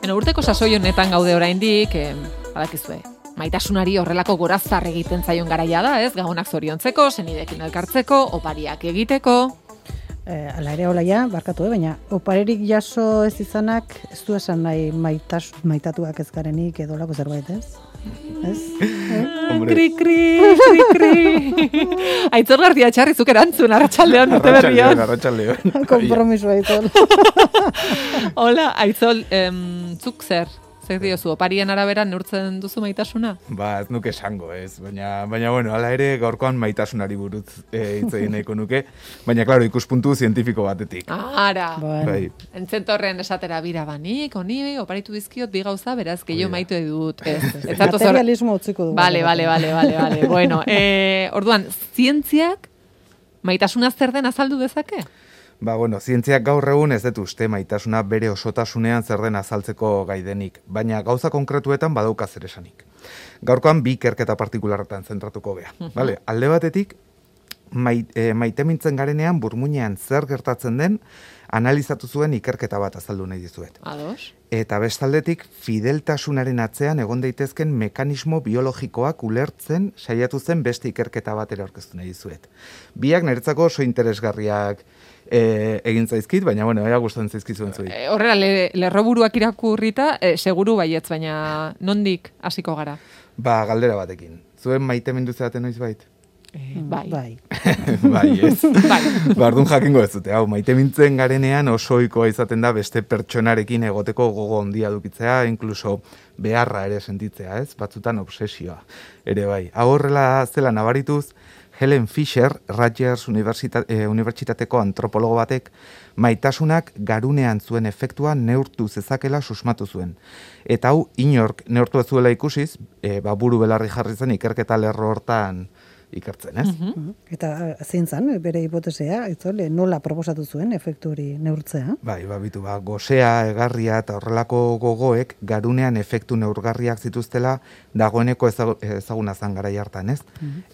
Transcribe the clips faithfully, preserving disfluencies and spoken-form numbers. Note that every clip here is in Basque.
Bueno, urteko sasoi honetan gaude oraindik, eh, badakizue. Maitasunari horrelako gorazar egiten zaion garaia da, ez? Gabonak zoriontzeko, senidekin elkartzeko, opariak egiteko. Eh, ala ere hola ja, barkatu, eh? Baina oparerik jaso ez izanak, ez du esan nahi maitas, maitatuak ez garenik edo lako zerbait, ez? Ez? Eh? Kri, kri, kri, kri. Aitzol García Txarri, zuk erantzun, arratsaldeon, urte berrian. Arratsaldeon. Kompromiso Aitzol. Hola, Aitzol, em, zuk zer? Zer diozu, oparien arabera neurtzen duzu maitasuna? Ba, ez nuke esango, ez. Baina, baina bueno, hala ere gaurkoan maitasunari buruz e, hitz egin nahiko nuke. Baina, klaro, ikuspuntu zientifiko batetik. Ara, Bueno. Bai. entzentorren esatera bira banik, honi, oparitu dizkiot bi gauza, beraz, gehiago Hori da. maite dut. Ez, ez zatoz hor- Materialismo utziko dugu. Vale, vale, vale, vale, vale. Bueno, eh, orduan, zientziak maitasuna zer den azaldu dezake? Ba, bueno, zientziak gaur egun ez dut uste maitasuna bere osotasunean zer den azaltzeko gaidenik, baina gauza konkretuetan badauka zer esanik. Gaurkoan bi ikerketa partikularretan zentratuko gea. Vale, alde batetik, mait, e, maitemintzen garenean burmuinean zer gertatzen den analizatu zuen ikerketa bat azaldu nahi dizuet. Ados? Eta bestaldetik, fideltasunaren atzean egon daitezken mekanismo biologikoak ulertzen saiatu zen beste ikerketa bat ere aurkeztu nahi dizuet. Biak niretzako oso interesgarriak e, egin zaizkit, baina bueno, ea gustatzen zaizkizuen zuei. E, horrela, le, lerroburuak irakurrita, e, seguru baietz, baina nondik hasiko gara? Ba, galdera batekin. Zuen maitemindu zeaten noiz bait? E, bai. Bai. Bai, ez. Bai. Bardun jakingo ez dute. Hau, maitemintzen garenean oso ohikoa izaten da beste pertsonarekin egoteko gogo handia dukitzea, inkluso beharra ere sentitzea, ez? Batzutan obsesioa ere bai. Hau horrela zela nabarituz, Helen Fisher, Rutgers Universita- eh, Unibertsitateko antropologo batek, maitasunak garunean zuen efektua neurtu zezakela susmatu zuen. Eta hau, inork neurtu ez zuela ikusiz, e, ba, buru belarri jarri zen ikerketa lerro hortan ikertzen, ez? Mhm. Eta zein zan, bere hipotesea, Aitzol, nola proposatu zuen efektu hori neurtzea? Bai, babitu, ba, gozea, egarria eta horrelako gogoek garunean efektu neurgarriak zituztela dagoeneko ezagu- ezaguna zan garai hartan, ez?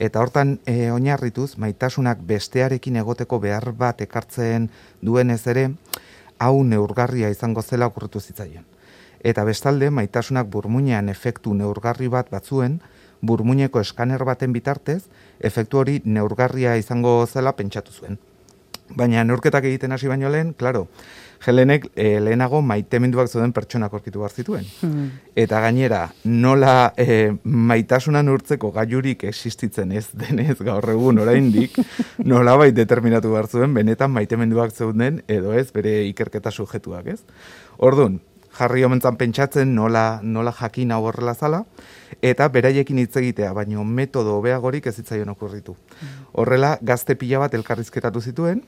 Eta hortan e, oinarrituz, maitasunak bestearekin egoteko behar bat ekartzen duenez ere, hau neurgarria izango zela okurritu zitzaion. Eta bestalde, maitasunak burmuinean efektu neurgarri bat batzuen, burmuineko eskaner baten bitartez, efektu hori neurgarria izango zela pentsatu zuen. Baina neurketak egiten hasi baino lehen, klaro, Helenek e, lehenago maiteminduak zeuden pertsonak aurkitu behar zituen. Hmm. Eta gainera, nola e, maitasuna neurtzeko gailurik existitzen ez denez gaur egun oraindik, nolabait determinatu behar zuen benetan maiteminduak zeuden edo ez bere ikerketa sujetuak, ez? Orduan, jarri omentzan pentsatzen nola, nola jakin hau horrela zala, eta beraiekin hitz egitea, baino metodo hobeagorik ez zitzaion okurritu. Horrela, gazte pila bat elkarrizketatu zituen,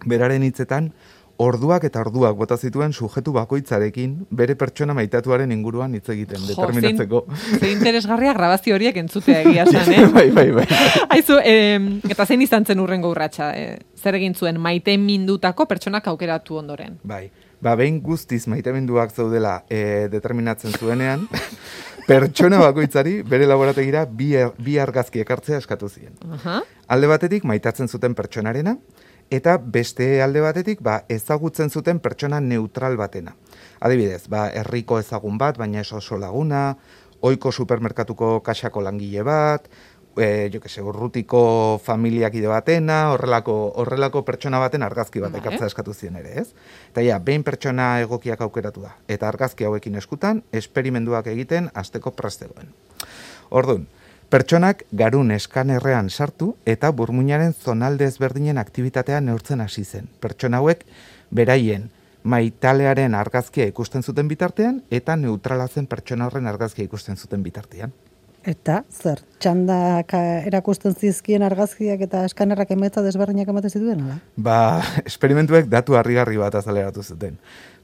beraren hitzetan, orduak eta orduak bota zituen sujetu bakoitzarekin bere pertsona maitatuaren inguruan hitz egiten, determinatzeko. Zein, zein interesgarria grabazio horiek entzutea egia esan, eh? bai, bai, bai. Aizu, eh, eta zein izan zen urrengo urratsa? Eh, zer egin zuen maite mindutako pertsonak aukeratu ondoren? Bai, ba, behin guztiz maiteminduak zaudela e, determinatzen zuenean, pertsona bakoitzari bere laborategira bi, er, bi argazki ekartzea eskatu ziren. Aha. Alde batetik maitatzen zuten pertsonarena, eta beste alde batetik ba, ezagutzen zuten pertsona neutral batena. Adibidez, ba, herriko ezagun bat, baina ez oso laguna, ohiko supermerkatuko kaxako langile bat, e, jo que se, urrutiko familiakide batena, horrelako, horrelako pertsona baten argazki bat Vale. ekartzea eskatu zien ere, ez? Eta ja, behin pertsona egokiak aukeratu da, eta argazki hauekin eskutan, esperimenduak egiten hasteko prestegoen. Orduan, pertsonak garun eskanerrean sartu eta burmuinaren zonalde ezberdinen aktibitatea neurtzen hasi zen. Pertsona hauek beraien maitalearen argazkia ikusten zuten bitartean eta neutrala zen pertsona horren argazkia ikusten zuten bitartean. Eta, zer, txandak erakusten zizkien argazkiak eta eskanerrak emaitza desberdinak ematen zituen, ala? Ba, esperimentuek datu harrigarri bat azaleratu zuten.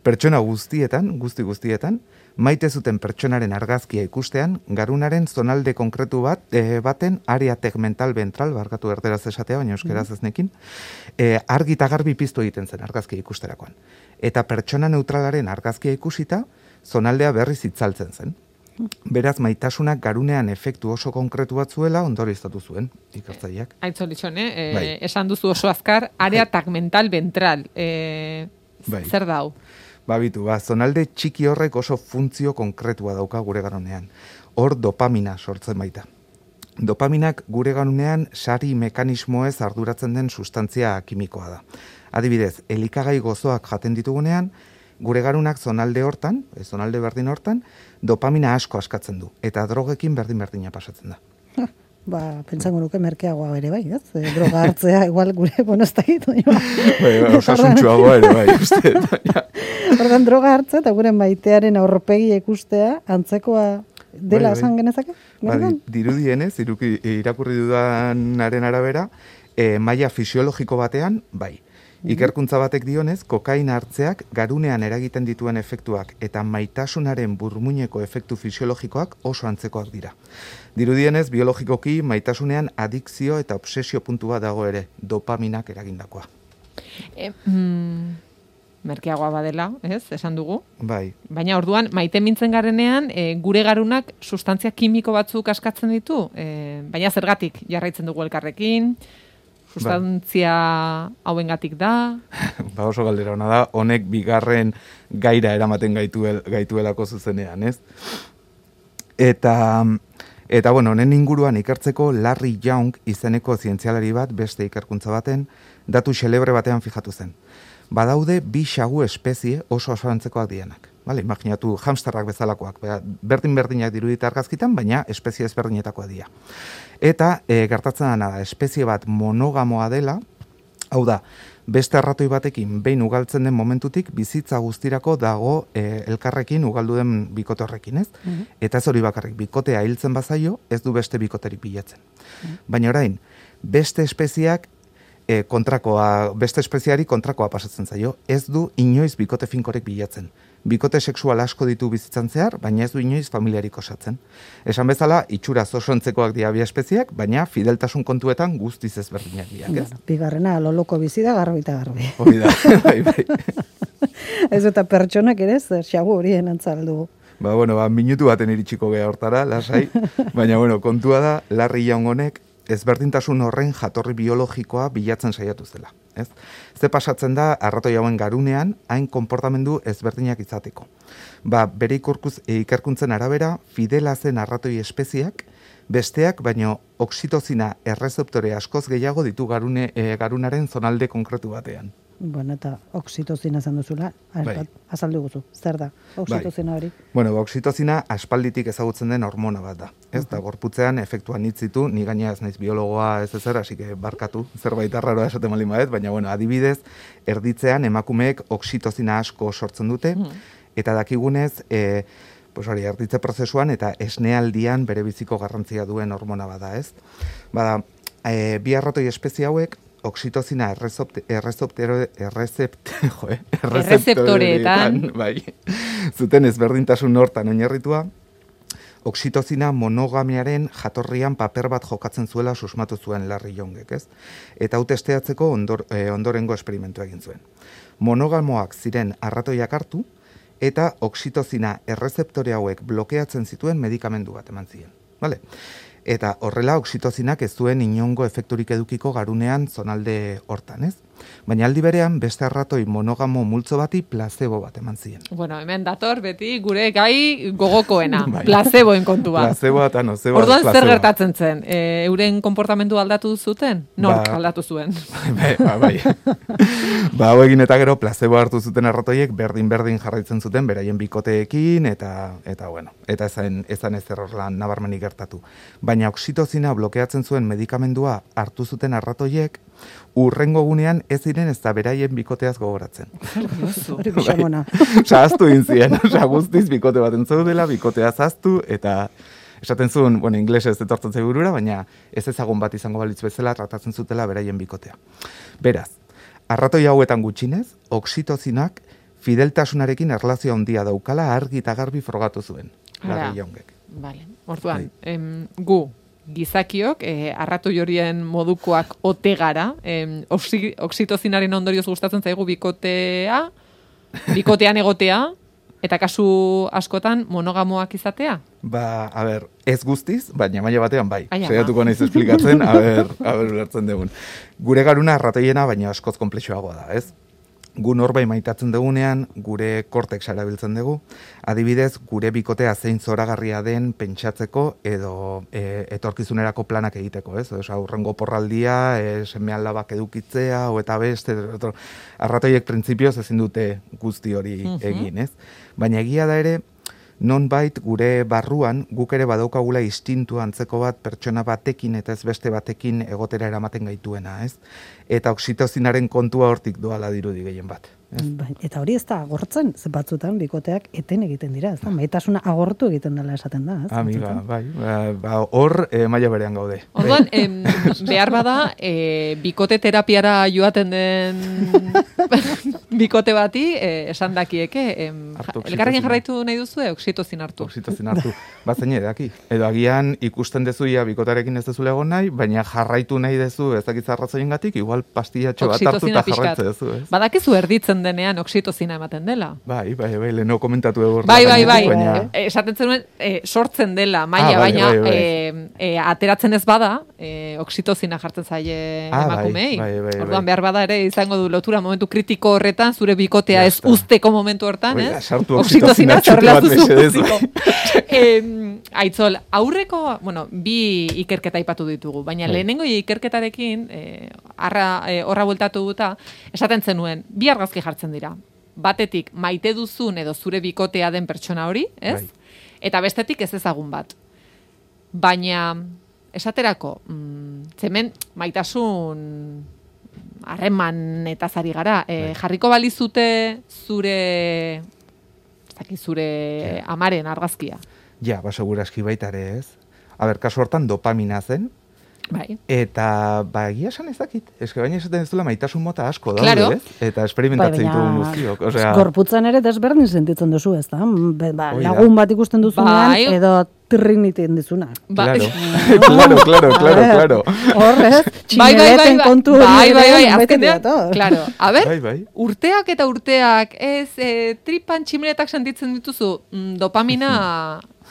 Pertsona guztietan, guzti guztietan, maite zuten pertsonaren argazkia ikustean, garunaren zonalde konkretu bat, e, baten area tegmental ventral, barkatu erderaz esatea, baina euskeraz ez nekin, e, argi eta garbi piztu egiten zen argazkia ikusterakoan. Eta pertsona neutralaren argazkia ikusita, zonaldea berriz itzaltzen zen. Beraz, maitasunak garunean efektu oso konkretu bat zuela ondorioztatu zuen ikertzaileak. Aitzolitxon, eh? E, Bai. Esan duzu oso azkar, area tegmental ventral. E, Bai. Zer da hau? Babitu, ba, zonalde txiki horrek oso funtzio konkretua dauka gure garunean. Hor dopamina sortzen baita. Dopaminak gure garunean sari mekanismoez arduratzen den sustantzia kimikoa da. Adibidez, elikagai gozoak jaten ditugunean, gure garunak zonalde hortan, zonalde berdin hortan, dopamina asko askatzen du. Eta drogekin berdin-berdina pasatzen da. Ba, pentsango nuke merkeagoa ere bai, ez? E, droga hartzea, igual gure, bueno, ez da gitu. Bai, osasuntxuagoa ere bai, uste. Ordan droga hartzea eta gure maitearen aurpegi ikustea, antzekoa dela esan bai, bai. Genezake? Ba, dirudienez, irakurri dudanaren arabera, e, maila fisiologiko batean, bai. Ikerkuntza batek dionez, kokaina hartzeak garunean eragiten dituen efektuak eta maitasunaren burmuineko efektu fisiologikoak oso antzekoak dira. Dirudienez, biologikoki maitasunean adikzio eta obsesio puntua dago ere, dopaminak eragindakoa. E, mm, merkeagoa badela, ez, esan dugu? Bai. Baina orduan, maite mintzen garenean, e, gure garunak sustantzia kimiko batzuk askatzen ditu, e, baina zergatik jarraitzen dugu elkarrekin, sustantzia hauengatik da? Ba oso galdera ona da, honek bigarren gaira eramaten gaituel, gaituelako zuzenean, ez? Eta, eta bueno, honen inguruan ikertzeko Larry Young izeneko zientzialari bat beste ikerkuntza baten, datu xelebre batean fijatu zen. Badaude bi xagu espezie oso oso antzekoak dianak. Vale, imaginatu hamsterrak bezalakoak, berdin-berdinak dirudita argazkitan, baina espezie ezberdinetakoa dira. Eta e, gertatzen dena da, espezie bat monogamoa dela, hau da, beste arratoi batekin behin ugaltzen den momentutik bizitza guztirako dago e, elkarrekin ugaldu den bikote horrekin, ez? Mm-hmm. Eta ez hori bakarrik, bikotea hiltzen bazaio, ez du beste bikoterik bilatzen. Mm-hmm. Baina orain, beste espeziak e, kontrakoa, beste espeziari kontrakoa pasatzen zaio, ez du inoiz bikote finkorek bilatzen. Bikote sexual asko ditu bizitzan zehar, baina ez du inoiz familiarik osatzen. Esan bezala, itxuraz oso antzekoak dira bi espeziak, baina fideltasun kontuetan guztiz ezberdinak dira, ez? Bueno, bigarrena, loloko bizi da, garbi eta garbi. Hori da, bai, bai. Ez eta pertsonak ere, zer xagu horien antzaldu. Ba, bueno, ba, minutu baten iritsiko geha hortara, lasai, baina, bueno, kontua da, Larry Young honek, ezberdintasun horren jatorri biologikoa bilatzen saiatu zela. Ez? Ze pasatzen da, arratoi hauen garunean, hain konportamendu ezberdinak izateko. Ba, bere ikurkuz, ikerkuntzen arabera, fidela zen arratoi espeziak, besteak, baino oksitozina errezeptore askoz gehiago ditu garune, e, garunaren zonalde konkretu batean. Bueno, eta oksitozina zan duzula, bai. Azaldu guzu, zer da, oksitozina hori? Bai. Bueno, ba, oksitozina aspalditik ezagutzen den hormona bat da. Ez da, gorputzean efektuan hitzitu, ni gaina ez naiz biologoa ez ezer, hasi que barkatu, zerbait arraroa esaten malin badet, baina bueno, adibidez, erditzean emakumeek oksitozina asko sortzen dute, eta dakigunez, e, pues hori, erditze prozesuan eta esnealdian bere biziko garrantzia duen hormona bada, ez? Bada, e, bi arratoi espezie hauek, oksitozina errezeptoreetan, bai, zuten ezberdintasun hortan oinarritua, oksitozina monogamiaren jatorrian paper bat jokatzen zuela susmatu zuen Larry Youngek, ez? Eta hau testeatzeko ondor, eh, ondorengo esperimentua egin zuen. Monogamoak ziren arratoiak hartu, eta oksitozina errezeptore hauek blokeatzen zituen medikamendu bat eman ziren. Vale? Eta horrela oksitozinak ez duen inongo efekturik edukiko garunean zonalde hortan, ez? Baina aldi berean beste arratoi monogamo multzo bati placebo bat eman ziren. Bueno, hemen dator beti gure gai gogokoena, bai. Placeboen kontua. Placeboa eta nozeboa. Orduan zer gertatzen zen? E, euren konportamendu aldatu zuten? Nork ba, aldatu zuen? Bai, ba, bai. Ba, hau egin eta gero placebo hartu zuten arratoiek berdin-berdin jarraitzen zuten beraien bikoteekin eta eta bueno, eta ezan ezan ezer horlan nabarmenik gertatu. Baina oksitozina blokeatzen zuen medikamendua hartu zuten arratoiek urrengo gunean ez ziren ez da beraien bikoteaz gogoratzen. Hori bixamona. Zahaztu inzien, oza, guztiz bikote baten zaudela, bikotea zaztu, eta esaten zuen, bueno, inglesez etortzen zaigurura, baina ez ezagun bat izango balitz bezala tratatzen zutela beraien bikotea. Beraz, arratoi hauetan gutxinez, oksitozinak fideltasunarekin erlazio handia daukala argi eta garbi frogatu zuen. Larry Youngek. Vale. Orduan, em, gu gizakiok, eh, arratoi horien modukoak ote gara, eh, oksi, oksitozinaren ondorioz gustatzen zaigu bikotea, bikotean egotea, eta kasu askotan monogamoak izatea? Ba, a ber, ez guztiz, baina maila batean bai. Saiatuko naiz esplikatzen, a ber, a ber, ulertzen dugun. Gure garuna arratoiena, baina askoz konplexuagoa da, ez? gu norbait maitatzen dugunean, gure kortexa erabiltzen dugu, adibidez, gure bikotea zein zoragarria den pentsatzeko edo e, etorkizunerako planak egiteko, ez? Osa, aurrengo porraldia, e, seme alabak edukitzea, o eta beste, otro, arratoiek printzipioz ezin dute guzti hori egin, ez? Baina egia da ere, nonbait gure barruan guk ere badaukagula instintu antzeko bat pertsona batekin eta ez beste batekin egotera eramaten gaituena, ez? Eta oxitozinaren kontua hortik doala dirudi gehien bat. Ez? Eta hori ez da agortzen, ze batzutan bikoteak eten egiten dira, ez da? Maitasuna agortu egiten dela esaten da, ez? Amiga, bai, ba, hor e, maila berean gaude. Orduan, em, behar bada, e, bikote terapiara joaten den bikote bati, e, esan dakieke, em, elkarrekin jarraitu nahi duzu, e, oxitozin hartu. Oxitozin hartu, bat zein edaki. Edo agian ikusten dezuia bikotarekin ez dezule egon nahi, baina jarraitu nahi dezu ez dakitza arrazoien gatik, igual pastillatxo bat hartu eta jarraitze dezu, ez? Badakizu erditzen denean oxitozina ematen dela. Bai, bai, bai, leheno komentatu egur. Bai, bai, bai, baina... esaten zenuen, e, sortzen dela, maila, ah, bai, baina bai, bai. E, e, ateratzen ez bada, e, oxitozina jartzen zaie ah, emakumei. Bai, bai, bai, orduan behar bada ere izango du lotura momentu kritiko horretan, zure bikotea ez usteko momentu hortan, ez? Sartu oxitozina txutu bat Aitzol, aurreko, bueno, bi ikerketa aipatu ditugu, baina bai. Lehenengo ikerketarekin, e, arra, e, horra bueltatu guta, esaten zenuen, bi argazki jartzen dira. Batetik, maite duzun edo zure bikotea den pertsona hori, ez? Bai. Eta bestetik ez ezagun bat. Baina, esaterako, mm, zemen maitasun harreman eta zari gara, e, jarriko balizute zure, zaki, zure ja. amaren argazkia. Ja, ba, seguraski baita ere ez. A ber, kasu hortan dopamina zen. Bai. Eta, ba, egia esan ez dakit. Ez que baina esaten ez duela maitasun mota asko daude, claro. ez? Eta esperimentatzen bai, ditugun guztiok. Osea... Gorputzan ere desberdin sentitzen duzu, ez da? Ba, lagun bat ikusten duzunean, bai. Edo triniten dizuna. Ba. Claro, claro, claro, claro, claro. Horrez, bai, bai, bai, kontu hori bai, bai, bai, azkenean, claro. A ber, bai, bai. urteak eta urteak, ez, e, tripan tximeletak sentitzen dituzu, mm, dopamina...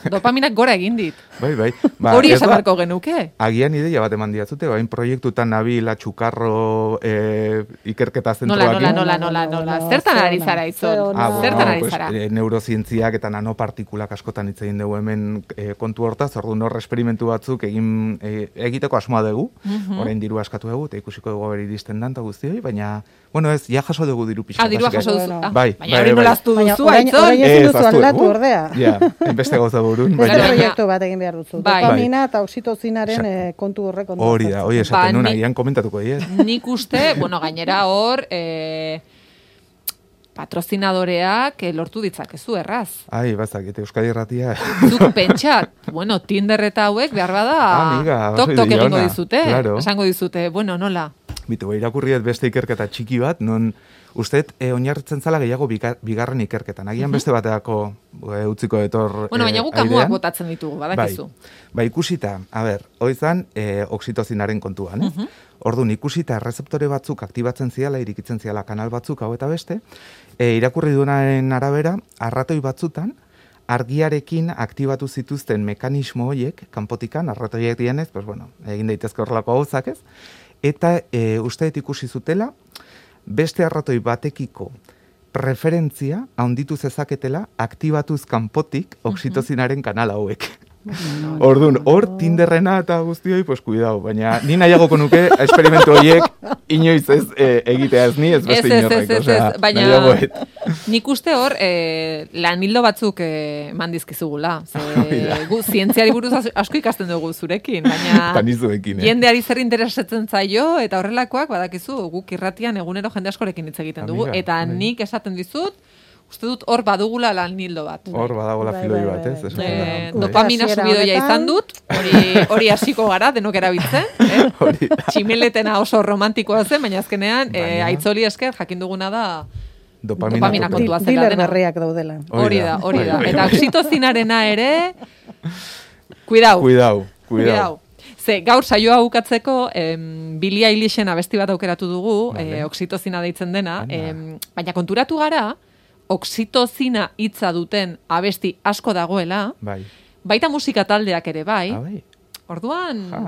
Dopaminak gora egin dit. Bai, bai. Ba, hori esan barko genuke. Agian ideia bat eman diatzute, bain proiektutan nabil atxukarro e, ikerketa zentroak. Nola, nola, nola, nola, nola. Zertan ari zara itzon? Ah, Zertan ari zara? Pues, e, neurozientziak eta nanopartikulak askotan hitz egin dugu hemen e, kontu hortaz, orduan hor esperimentu batzuk egin e, egiteko asmoa dugu, uh-huh. orain diru askatu dugu, eta ikusiko dugu beri iristen dan, eta guztioi, baina, bueno ez, ja jaso dugu diru pixka. Ah, dirua jaso duzu. Ah, bai, baina hori nolaztu duzu, aitzon? Orain ezin duzu aldatu ordea. Ja, enbeste gauza burun. Beste proiektu bat egin behar duzu. Dopamina eta oxitozinaren eh, kontu horrek ondo. Hori da, hori esaten nuna, ian komentatuko diet. Nik uste, bueno, gainera hor, eh, patrozinadoreak lortu ditzakezu erraz. Ai, bazak, eta Euskadi Irratia. Zuk pentsat, bueno, Tinder eta hauek behar bada, Amiga, tok-tok egingo dizute, claro. Esango dizute, bueno, nola? Bitu, irakurriet beste ikerketa txiki bat, non usteet e, oinarritzen zala gehiago bigarren ikerketan. Agian beste bateako e, utziko etor bueno, baina guk amuak botatzen ditugu, badakizu. Bai, ba, ikusita, a ber, hoizan e, oxitozinaren kontuan, eh? Uh-huh. Orduan, ikusita errezeptore batzuk aktibatzen ziala, irikitzen ziala kanal batzuk, hau eta beste, e, irakurri duenaren arabera, arratoi batzutan, argiarekin aktibatu zituzten mekanismo horiek, kanpotikan, arratoiek dienez, pues bueno, egin daitezke horrelako gauzak ez, eta e, usteet ikusi zutela, beste arratoi batekiko preferentzia handitu zezaketela aktibatuz kanpotik oxitozinaren kanal hauek. Orduan, hor Tinderrena eta guztioi, pues cuidado, baina ni nahiagoko nuke esperimentu horiek inoiz ez e, egitea ez ni, ez beste inorrek. Ez, ez, ez, baina nik uste hor e, lanildo batzuk e, mandizkizugula. Gu, zientziari buruz asko ikasten dugu zurekin, baina eh? jendeari zer interesatzen zaio, eta horrelakoak badakizu guk irratian egunero jende askorekin hitz egiten dugu, Amiga, eta bai. Nik esaten dizut, uste dut hor badugula lan nildo bat. Hor badagola filoi bat, ez? Eh, dopamina subidoia izan dut, hori hori hasiko gara denok erabiltzen, eh? Tximeletena oso romantikoa zen, baina azkenean eh, aitzoli esker jakin duguna da dopamina, dopamina kontua zela dena. Diler berriak daudela. Hori da, hori da. Eta oxitozinarena ere, cuidao. Cuidao, cuidao. Ze, gaur saioa bukatzeko, em, Billie Eilishen abesti bat aukeratu dugu, vale. eh, oxitozina deitzen dena, em, baina konturatu gara, oxitozina hitza duten abesti asko dagoela, bai. Baita musika taldeak ere bai. Ah, bai. Orduan, ja.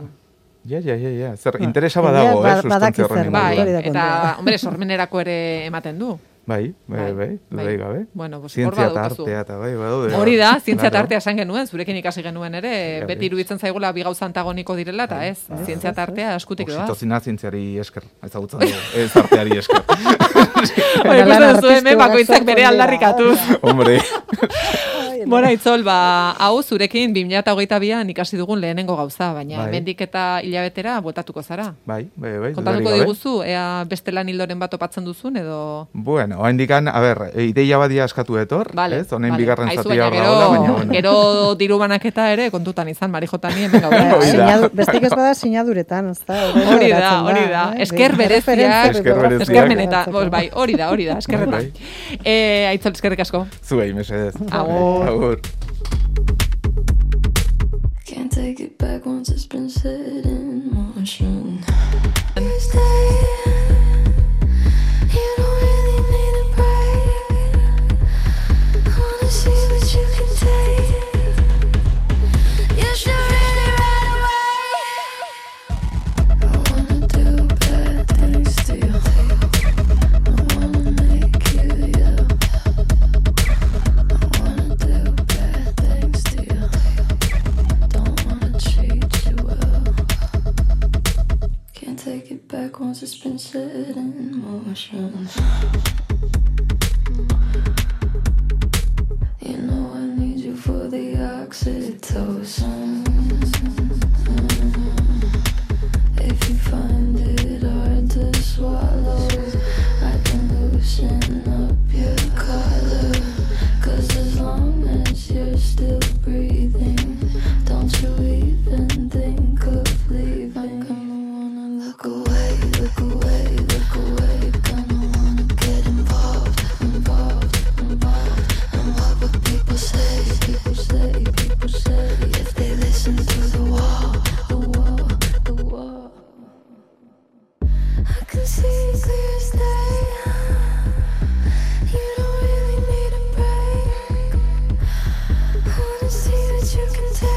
Ja, ja, ja, ja. Zer, interesa badago, eh, sustantzia horren. Bai, eta, hombre, sormenerako ere ematen du. Bai, bai, bai, bai, gabe. Bueno, pues zientzia eta artea eta bai, badaude. Hori da, zientzia eta artea esan genuen, zurekin ikasi genuen ere, beti iruditzen zaigula bi gauza antagoniko direla, eta ez, zientzia eta artea eskutik doaz. Oxitozina zientziari esker, ezagutzen dugu, ez arteari esker. Hori, ikusten zuen, bakoitzak bere aldarrikatuz. Hombre. Bona, Itzol, ba, hau zurekin bi mila hogeita bian ikasi dugun lehenengo gauza, baina hemendik eta hilabetera bueltatuko zara. Bai, bai, bai. Kontatuko diguzu, ea beste lan hildoren bat opatzen duzun, edo... Bueno, oa indikan, a ber, ideia badia eskatu etor, vale, ez? Honein vale. bigarren zatia horra hola, baina bueno. Gero diru banaketa ere kontutan izan, Marijotani, hemen gaur. Bestik ez bada sinaduretan, ez da? Hori da, hori da. Esker bereziak, esker meneta, bai, hori da, hori da, eskerretan. Aitzol, eskerrik asko. Zuei, mesedez. Agur. Agur. Can't take it back once it's been set in motion. You don't really need a break. Wanna see what you can take. You should really run away. I wanna do bad things to you. I wanna make you yell. I wanna do bad things to you. Don't wanna treat you well. Can't take it back once it's been set in motion. You know I need you for the oxytocin. If you find it hard to swallow, I can loosen up your collar. Cause as long as you're still breathing, don't you even think of leaving. I'm gonna wanna look away, look away, look away. Gonna wanna get involved, involved, involved. And what would people say, people say, people say, if they listen to the wall, the wall, the wall. I can see clear as day. You don't really need a break. I wanna see what you can take.